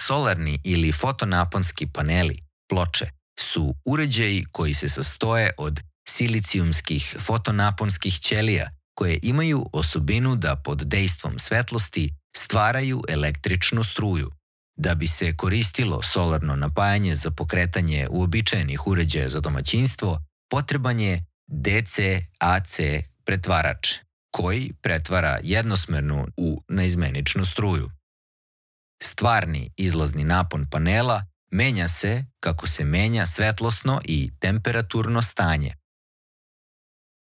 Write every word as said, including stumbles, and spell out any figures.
Solarni ili fotonaponski paneli, ploče, su uređaji koji se sastoje od silicijumskih fotonaponskih ćelija koje imaju osobinu da pod dejstvom svetlosti stvaraju električnu struju. Da bi se koristilo solarno napajanje za pokretanje uobičajenih uređaja za domaćinstvo, potreban je D C A C pretvarač, koji pretvara jednosmernu u naizmeničnu struju. Stvarni izlazni napon panela menja se kako se menja svetlosno i temperaturno stanje.